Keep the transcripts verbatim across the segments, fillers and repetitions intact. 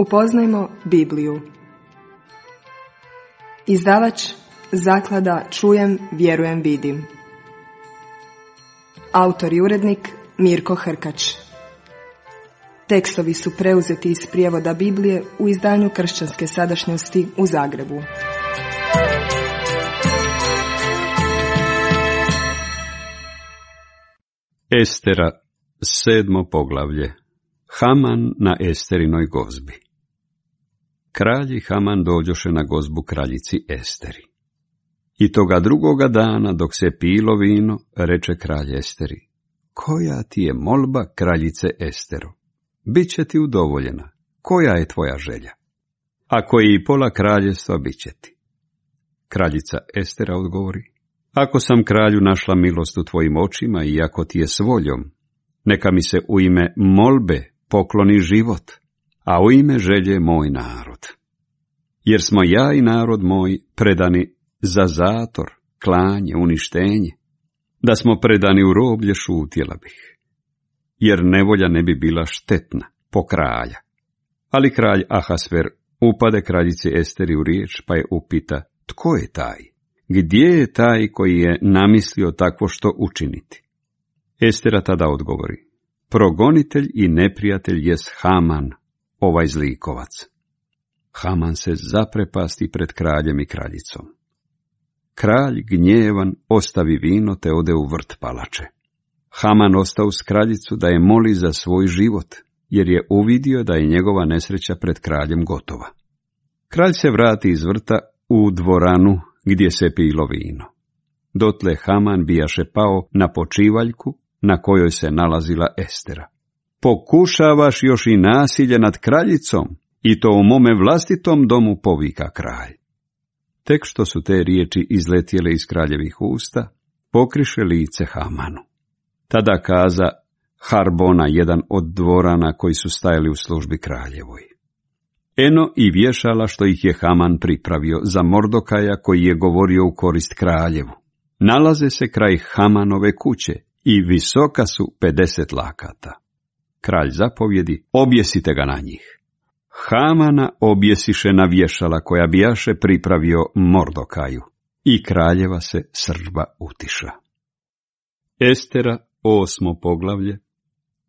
Upoznajmo Bibliju. Izdavač Zaklada Čujem, vjerujem, vidim. Autor i urednik Mirko Hrkač. Tekstovi su preuzeti iz prijevoda Biblije u izdanju Kršćanske sadašnjosti u Zagrebu. Estera, sedmo poglavlje. Haman na Esterinoj gozbi. Kralj i Haman dođoše na gozbu kraljici Esteri. I toga drugoga dana, dok se pilo vino, reče kralj Esteri: koja ti je molba, kraljice Estero? Biće ti udovoljena. Koja je tvoja želja? Ako je i pola kraljevstva, bit će ti. Kraljica Estera odgovori: ako sam, kralju, našla milost u tvojim očima i ako ti je s voljom, neka mi se u ime molbe pokloni život, a u ime želje moj narod. Jer smo ja i narod moj predani za zator, klanje, uništenje. Da smo predani u roblje, šutjela bih, jer nevolja ne bi bila štetna po kralja. Ali kralj Ahasver upade kraljici Esteri u riječ, pa je upita: tko je taj? Gdje je taj koji je namislio takvo što učiniti? Estera tada odgovori: progonitelj i neprijatelj jest Haman, ovaj zlikovac. Haman se zaprepasti pred kraljem i kraljicom. Kralj gnjevan ostavi vino te ode u vrt palače. Haman ostao s kraljicu da je moli za svoj život, jer je uvidio da je njegova nesreća pred kraljem gotova. Kralj se vrati iz vrta u dvoranu gdje se pilo vino. Dotle Haman bijaše pao na počivaljku na kojoj se nalazila Estera. Pokušavaš još i nasilje nad kraljicom, i to u mome vlastitom domu, povika kralj. Tek što su te riječi izletjele iz kraljevih usta, pokriše lice Hamanu. Tada kaza Harbona, jedan od dvorana koji su stajali u službi kraljevoj: eno i vješala što ih je Haman pripravio za Mordokaja, koji je govorio u korist kraljevu. Nalaze se kraj Hamanove kuće i visoka su pedeset lakata. Kralj zapovjedi: objesite ga na njih. Hamana objesiše na vješala koja bijaše pripravio Mordokaju, i kraljeva se srdba utiša. Estera, osmo poglavlje.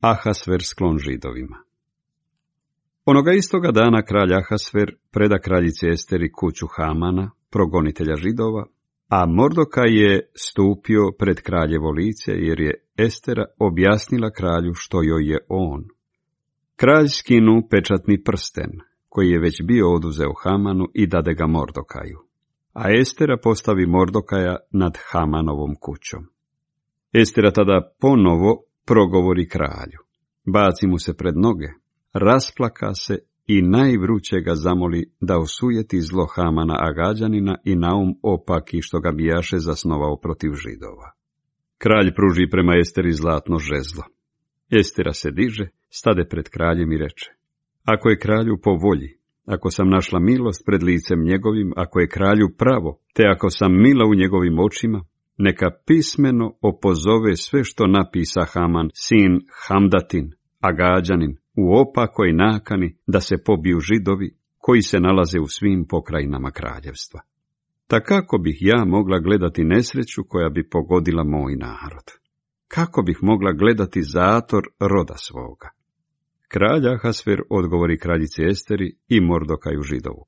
Ahasver sklon Židovima. Onoga istoga dana kralj Ahasver preda kraljici Esteri kuću Hamana, progonitelja Židova, a Mordokaj je stupio pred kraljevo lice, jer je Estera objasnila kralju što joj je on. Kralj skinu pečatni prsten, koji je već bio oduzeo Hamanu, i dade ga Mordokaju, a Estera postavi Mordokaja nad Hamanovom kućom. Estera tada ponovo progovori kralju, baci mu se pred noge, rasplaka se i najvruće ga zamoli da osujeti zlo Hamana Agađanina i naum opaki što ga bijaše zasnovao protiv Židova. Kralj pruži prema Esteri zlatno žezlo. Estera se diže, stade pred kraljem i reče: ako je kralju po volji, ako sam našla milost pred licem njegovim, ako je kralju pravo, te ako sam mila u njegovim očima, neka pismeno opozove sve što napisa Haman, sin Hamdatin, Agađanin, u opakoj nakani da se pobiju Židovi koji se nalaze u svim pokrajinama kraljevstva. Ta kako bih ja mogla gledati nesreću koja bi pogodila moj narod? Kako bih mogla gledati zator roda svoga? Kralj Ahasver odgovori kraljici Esteri i Mordokaju Židovu: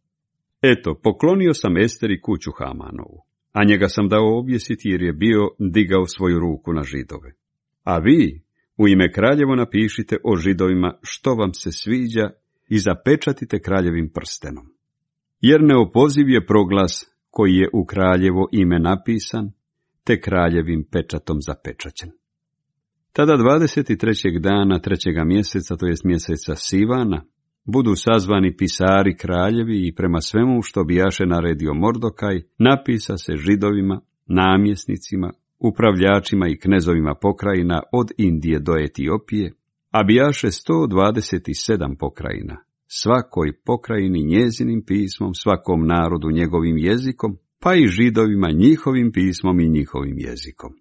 eto, poklonio sam Esteri kuću Hamanovu, a njega sam dao objesiti jer je bio digao svoju ruku na Židove. A vi u ime kraljevo napišite o Židovima što vam se sviđa i zapečatite kraljevim prstenom. Jer neopoziv je proglas koji je u kraljevo ime napisan, te kraljevim pečatom zapečaćen. Tada dvadeset trećeg dana trećega mjeseca, to jest mjeseca Sivana, budu sazvani pisari kraljevi i prema svemu što bijaše naredio Mordokaj, napisa se Židovima, namjesnicima, upravljačima i knezovima pokrajina od Indije do Etiopije, a bijaše sto dvadeset sedam pokrajina, svakoj pokrajini njezinim pismom, svakom narodu njegovim jezikom, pa i Židovima njihovim pismom i njihovim jezikom.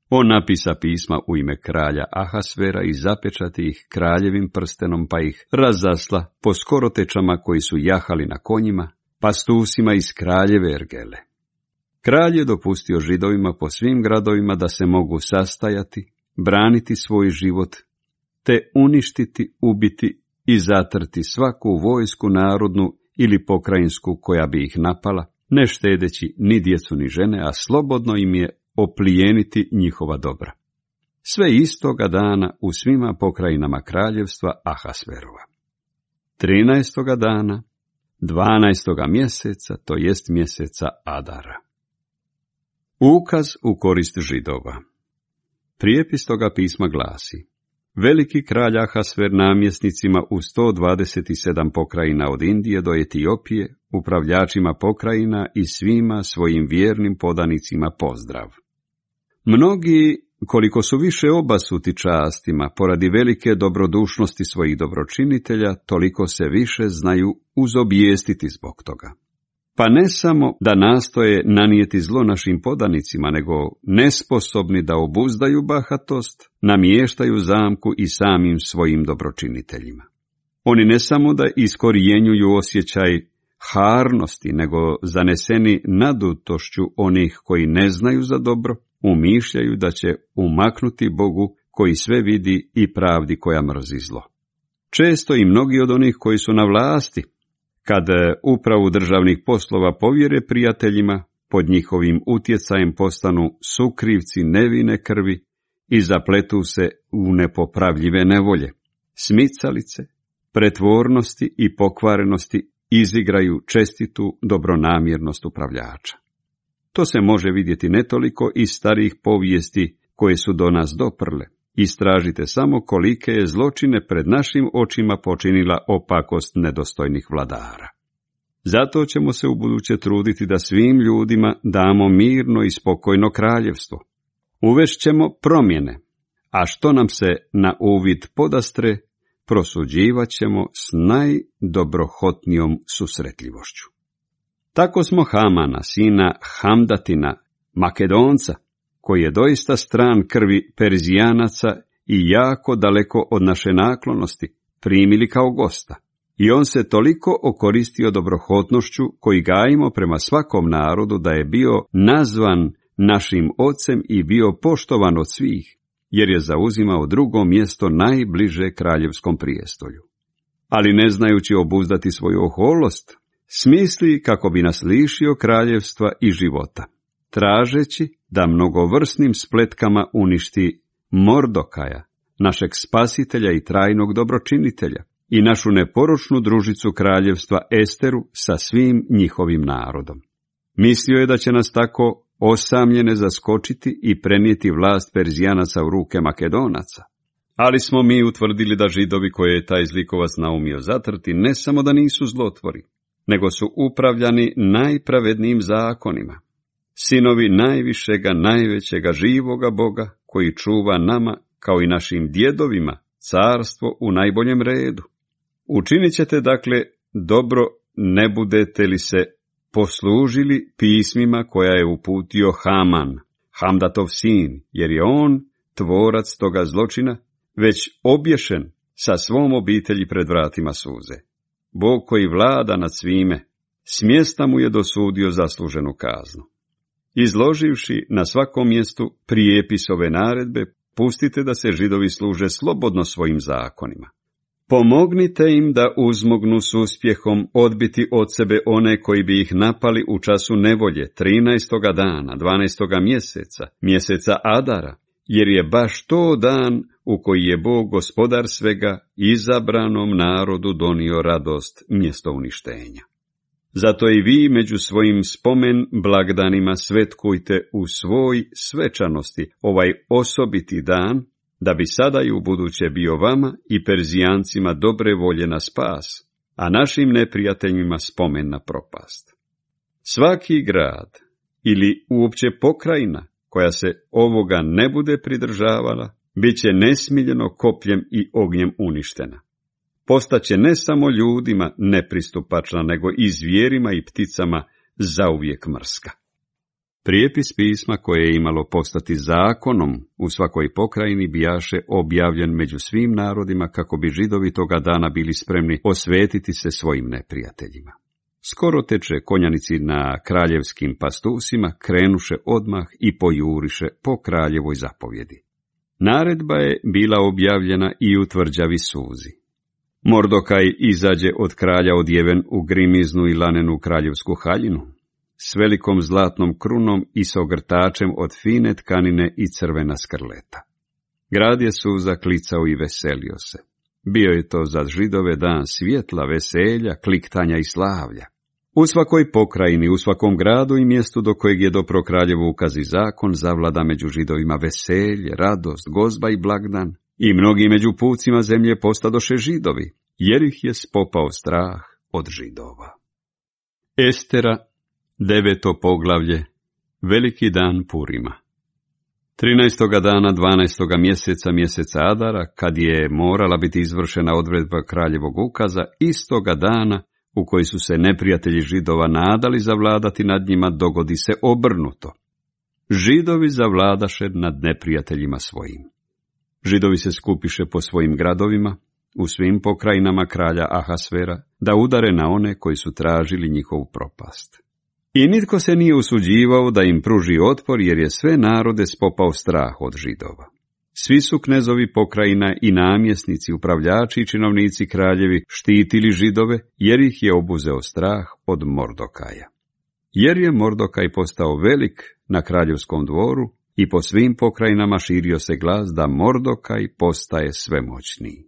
On napisa pisma u ime kralja Ahasvera i zapečati ih kraljevim prstenom, pa ih razasla po skorotečama koji su jahali na konjima, pastusima iz kraljeve Ergele. Kralj je dopustio Židovima po svim gradovima da se mogu sastajati, braniti svoj život, te uništiti, ubiti i zatrti svaku vojsku narodnu ili pokrajinsku koja bi ih napala, ne štedeći ni djecu ni žene, a slobodno im je oplijeniti njihova dobra. Sve istoga dana u svima pokrajinama kraljevstva Ahasverova. Trinaestoga dana, dvanaestoga mjeseca, to jest mjeseca Adara. Ukaz u korist Židova. Prijepis toga pisma glasi: Veliki kralj Ahasver namjesnicima u sto dvadeset sedam pokrajina od Indije do Etiopije, upravljačima pokrajina i svima svojim vjernim podanicima pozdrav. Mnogi, koliko su više obasuti častima, poradi velike dobrodušnosti svojih dobročinitelja, toliko se više znaju uzobijestiti zbog toga. Pa ne samo da nastoje nanijeti zlo našim podanicima, nego nesposobni da obuzdaju bahatost, namještaju zamku i samim svojim dobročiniteljima. Oni ne samo da iskorijenjuju osjećaj harnosti, nego zaneseni nadutošću onih koji ne znaju za dobro, umišljaju da će umaknuti Bogu koji sve vidi i pravdi koja mrzi zlo. Često i mnogi od onih koji su na vlasti, kad upravu državnih poslova povjere prijateljima, pod njihovim utjecajem postanu sukrivci nevine krvi i zapletu se u nepopravljive nevolje. Smicalice, pretvornosti i pokvarenosti izigraju čestitu dobronamjernost upravljača. To se može vidjeti ne toliko iz starijih povijesti koje su do nas doprle. Istražite samo kolike je zločine pred našim očima počinila opakost nedostojnih vladara. Zato ćemo se ubuduće truditi da svim ljudima damo mirno i spokojno kraljevstvo. Uvešćemo promjene, a što nam se na uvid podastre, prosuđivat ćemo s najdobrohotnijom susretljivošću. Tako smo Hamana, sina Hamdatina, Makedonca, koji je doista stran krvi Perzijanaca i jako daleko od naše naklonosti, primili kao gosta. I on se toliko okoristio dobrohotnošću koji gajimo prema svakom narodu da je bio nazvan našim ocem i bio poštovan od svih, jer je zauzimao drugo mjesto najbliže kraljevskom prijestolju. Ali ne znajući obuzdati svoju oholost, smisli kako bi nas lišio kraljevstva i života, tražeći da mnogovrsnim spletkama uništi Mordokaja, našeg spasitelja i trajnog dobročinitelja, i našu neporočnu družicu kraljevstva Esteru sa svim njihovim narodom. Mislio je da će nas tako osamljene zaskočiti i prenijeti vlast Perzijanaca u ruke Makedonaca. Ali smo mi utvrdili da Židovi koje je taj zlikovac naumio zatrti ne samo da nisu zlotvori, nego su upravljani najpravednijim zakonima. Sinovi najvišega, najvećega, živoga Boga, koji čuva nama, kao i našim djedovima, carstvo u najboljem redu. Učinit ćete, dakle, dobro, ne budete li se poslužili pismima koja je uputio Haman, Hamdatov sin, jer je on tvorac toga zločina, već obješen sa svom obitelji pred vratima suze. Bog koji vlada nad svime, smjesta mu je dosudio zasluženu kaznu. Izloživši na svakom mjestu prijepis ove naredbe, pustite da se Židovi služe slobodno svojim zakonima. Pomognite im da uzmognu s uspjehom odbiti od sebe one koji bi ih napali u času nevolje, trinaestoga dana, dvanaestoga mjeseca, mjeseca Adara, jer je baš to dan u koji je Bog, gospodar svega, izabranom narodu donio radost mjesto uništenja. Zato i vi među svojim spomen blagdanima svetkujte u svoj svečanosti ovaj osobiti dan, da bi sada i ubuduće bio vama i Perzijancima dobre volje na spas, a našim neprijateljima spomen na propast. Svaki grad ili uopće pokrajina koja se ovoga ne bude pridržavala, bit će nesmiljeno kopljem i ognjem uništena. Postaće ne samo ljudima nepristupačna, nego i zvijerima i pticama zauvijek mrska. Prijepis pisma koje je imalo postati zakonom u svakoj pokrajini bijaše objavljen među svim narodima kako bi Židovi toga dana bili spremni osvetiti se svojim neprijateljima. Skoro teče konjanici na kraljevskim pastusima, krenuše odmah i pojuriše po kraljevoj zapovjedi. Naredba je bila objavljena i u tvrđavi Suzi. Mordokaj izađe od kralja odjeven u grimiznu i lanenu kraljevsku haljinu, s velikom zlatnom krunom i s ogrtačem od fine tkanine i crvena skrleta. Grad je Suza klicao i veselio se. Bio je to za Židove dan svjetla, veselja, kliktanja i slavlja. U svakoj pokrajini, u svakom gradu i mjestu do kojeg je dopro kraljevu ukazi zakon, zavlada među Židovima veselje, radost, gozba i blagdan, i mnogi među pucima zemlje postadoše Židovi, jer ih je spopao strah od Židova. Estera, deveto poglavlje, veliki dan Purima. Trinaestoga dana dvanaestoga mjeseca, mjeseca Adara, kad je morala biti izvršena odredba kraljevog ukaza, istoga dana u koji su se neprijatelji Židova nadali zavladati nad njima, dogodi se obrnuto. Židovi zavladaše nad neprijateljima svojim. Židovi se skupiše po svojim gradovima, u svim pokrajinama kralja Ahasvera, da udare na one koji su tražili njihovu propast. I nitko se nije usuđivao da im pruži otpor, jer je sve narode spopao strah od Židova. Svi su knezovi pokrajina i namjesnici, upravljači i činovnici kraljevi štitili Židove, jer ih je obuzeo strah od Mordokaja. Jer je Mordokaj postao velik na kraljevskom dvoru i po svim pokrajinama širio se glas da Mordokaj postaje svemoćniji.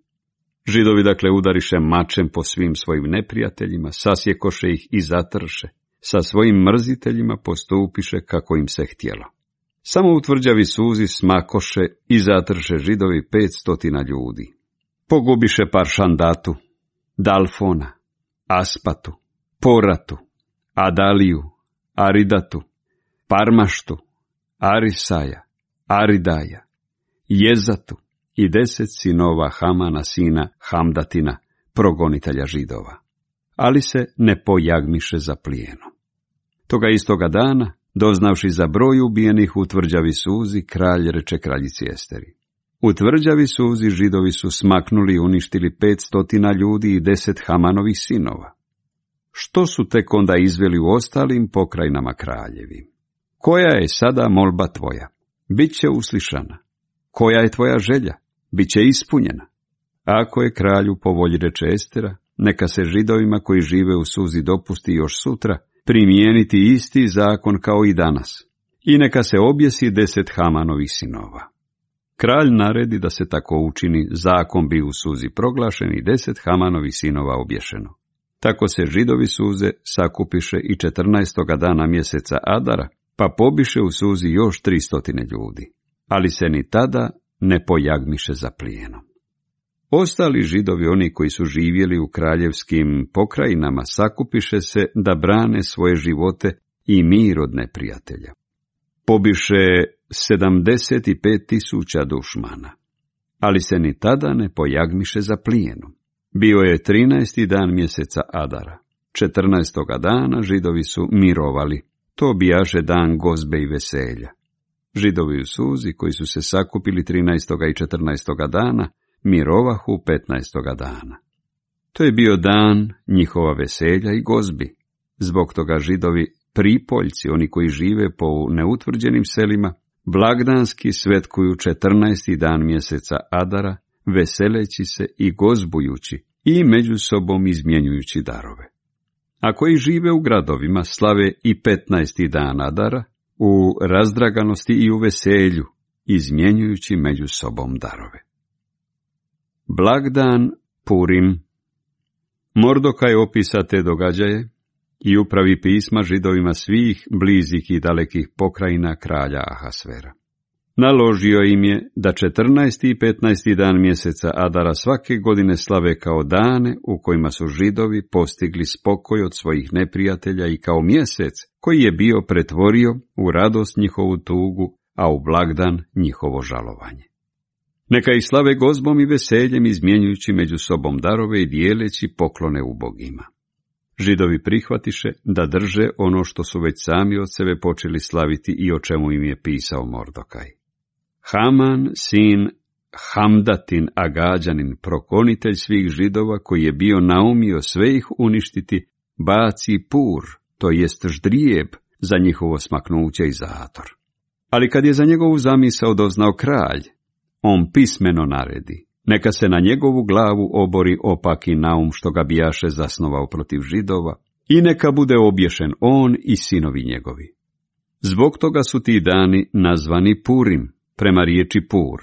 Židovi dakle udariše mačem po svim svojim neprijateljima, sasjekoše ih i zatrše, sa svojim mrziteljima postupiše kako im se htjelo. Samo u tvrđavi Suzi smakoše i zatrše Židovi petstotina ljudi. Pogubiše Paršandatu, Dalfona, Aspatu, Poratu, Adaliju, Aridatu, Parmaštu, Arisaja, Aridaja, Jezatu i deset sinova Hamana, sina Hamdatina, progonitelja Židova. Ali se ne pojagmiše za plijenom. Toga istoga dana, doznavši za broj ubijenih u tvrđavi Suzi, kralj reče kraljici Esteri: u tvrđavi Suzi Židovi su smaknuli i uništili petstotina ljudi i deset Hamanovih sinova. Što su tek onda izveli u ostalim pokrajinama kraljevim? Koja je sada molba tvoja? Biće uslišana. Koja je tvoja želja? Biće ispunjena. Ako je kralju po volji, reče Estera, neka se Židovima koji žive u Suzi dopusti još sutra primijeniti isti zakon kao i danas, i neka se objesi deset Hamanovih sinova. Kralj naredi da se tako učini, zakon bi u Suzi proglašen i deset Hamanovih sinova obješeno. Tako se Židovi Suze sakupiše i četrnaestoga dana mjeseca Adara, pa pobiše u Suzi još tristotine ljudi, ali se ni tada ne pojagmiše za plijenom. Ostali Židovi, oni koji su živjeli u kraljevskim pokrajinama, sakupiše se da brane svoje živote i mir od neprijatelja. Pobiše sedamdeset pet tisuća dušmana, ali se ni tada ne pojagmiše za plijenom. Bio je trinaesti dan mjeseca Adara. Četrnaestoga dana Židovi su mirovali. To bijaše dan gozbe i veselja. Židovi u Suzi, koji su se sakupili trinaestoga i četrnaestoga dana, mirovahu petnaestoga dana. To je bio dan njihova veselja i gozbi. Zbog toga Židovi pripoljci, oni koji žive po neutvrđenim selima, blagdanski svetkuju četrnaesti dan mjeseca Adara, veseleći se i gozbujući i među sobom izmjenjujući darove. A koji žive u gradovima slave i petnaesti dan Adara u razdraganosti i u veselju, izmjenjujući među sobom darove. Blagdan Purim. Mordokaj opisa te događaje i upravi pisma Židovima svih blizih i dalekih pokrajina kralja Ahasvera. Naložio im je da četrnaesti i petnaesti dan mjeseca Adara svake godine slave kao dane u kojima su Židovi postigli spokoj od svojih neprijatelja i kao mjesec koji je bio pretvorio u radost njihovu tugu, a u blagdan njihovo žalovanje. Neka ih slave gozbom i veseljem, izmjenjujući među sobom darove i dijeleći poklone ubogima. Židovi prihvatiše da drže ono što su već sami od sebe počeli slaviti i o čemu im je pisao Mordokaj. Haman, sin Hamdatin Agađanin, prokonitelj svih Židova, koji je bio naumio sve ih uništiti, baci pur, to jest ždrijeb, za njihovo smaknuće i zator. Ali kad je za njegovu zamisao doznao kralj, on pismeno naredi, neka se na njegovu glavu obori opaki naum što ga bijaše zasnovao protiv Židova, i neka bude obješen on i sinovi njegovi. Zbog toga su ti dani nazvani Purim, prema riječi pur.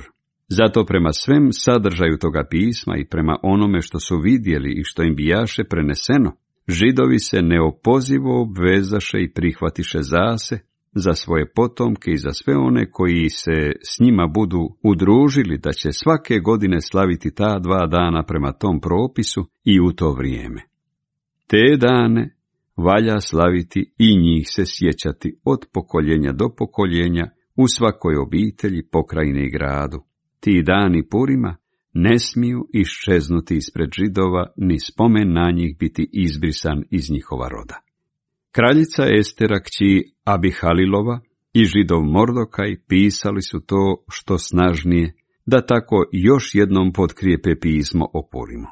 Zato prema svem sadržaju toga pisma i prema onome što su vidjeli i što im bijaše preneseno, Židovi se neopozivo obvezaše i prihvatiše zase, za svoje potomke i za sve one koji se s njima budu udružili, da će svake godine slaviti ta dva dana prema tom propisu i u to vrijeme. Te dane valja slaviti i njih se sjećati od pokoljenja do pokoljenja u svakoj obitelji, pokrajini i gradu. Ti dani Purima ne smiju iščeznuti ispred Židova, ni spomen na njih biti izbrisan iz njihova roda. Kraljica Estera, kći Abihalilova, i Židov Mordokaj pisali su to što snažnije, da tako još jednom potkrijepe pismo o Purimu.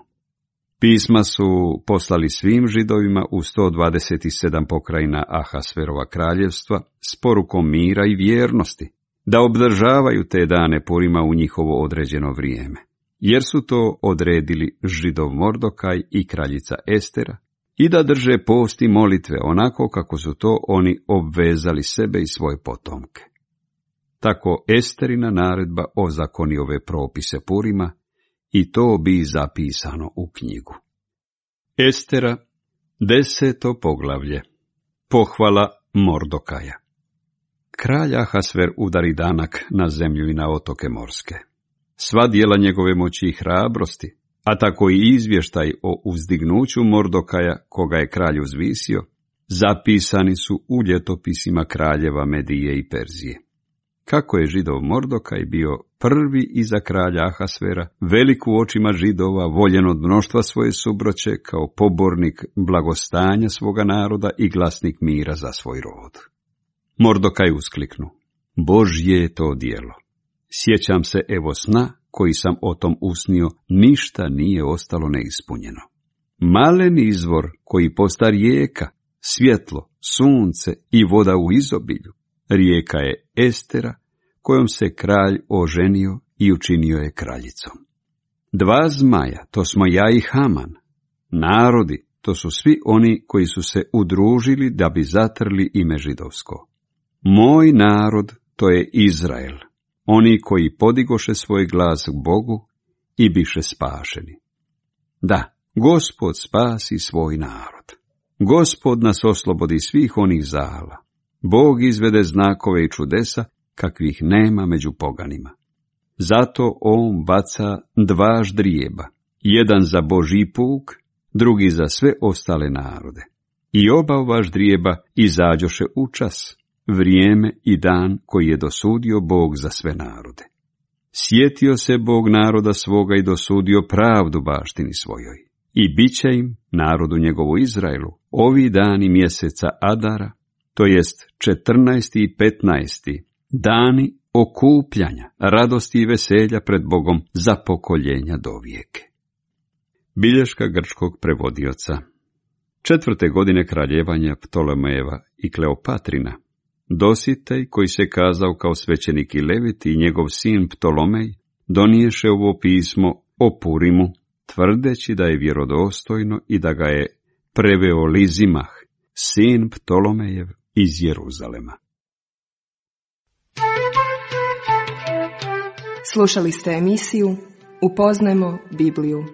Pisma su poslali svim Židovima u sto dvadeset sedam pokrajina Ahasverova kraljevstva s porukom mira i vjernosti, da obdržavaju te dane Purima u njihovo određeno vrijeme, jer su to odredili Židov Mordokaj i kraljica Estera, i da drže post i molitve onako kako su to oni obvezali sebe i svoje potomke. Tako Esterina naredba ozakoni ove propise Purima, i to bi zapisano u knjigu. Estera, deseto poglavlje. Pohvala Mordokaja. Kralj Ahasver udari danak na zemlju i na otoke morske. Sva djela njegove moći i hrabrosti, a tako i izvještaj o uzdignuću Mordokaja, koga je kralj uzvisio, zapisani su u ljetopisima kraljeva Medije i Perzije. Kako je Židov Mordokaj bio prvi iza kralja Ahasvera, velik u očima Židova, voljen od mnoštva svoje subroće, kao pobornik blagostanja svoga naroda i glasnik mira za svoj rod. Mordokaj uskliknu: Božje je to djelo. Sjećam se evo sna koji sam o tom usnio, ništa nije ostalo neispunjeno. Malen izvor koji posta rijeka, svjetlo, sunce i voda u izobilju, rijeka je Estera, kojom se kralj oženio i učinio je kraljicom. Dva zmaja, to smo ja i Haman. Narodi, to su svi oni koji su se udružili da bi zatrli ime židovsko. Moj narod, to je Izrael, oni koji podigoše svoj glas k Bogu i biše spašeni. Da, Gospod spasi svoj narod. Gospod nas oslobodi svih onih zala. Bog izvede znakove i čudesa, kakvih nema među poganima. Zato on baca dva ždrijeba, jedan za Božji puk, drugi za sve ostale narode. I oba ova ždrijeba izađoše u čas, vrijeme i dan koji je dosudio Bog za sve narode. Sjetio se Bog naroda svoga i dosudio pravdu baštini svojoj. I bit će im, narodu njegovu Izraelu, ovi dani mjeseca Adara, to jest četrnaesti i petnaesti, dani okupljanja, radosti i veselja pred Bogom za pokoljenja do vijeke. Bilješka grčkog prevodioca. Četvrte godine kraljevanja Ptolomejeva i Kleopatrina, Dositej, koji se kazao kao svećenik i levit, i njegov sin Ptolomej, doniješe ovo pismo o Purimu, tvrdeći da je vjerodostojno i da ga je preveo Lizimah, sin Ptolomejev iz Jeruzalema. Slušali ste emisiju Upoznajmo Bibliju.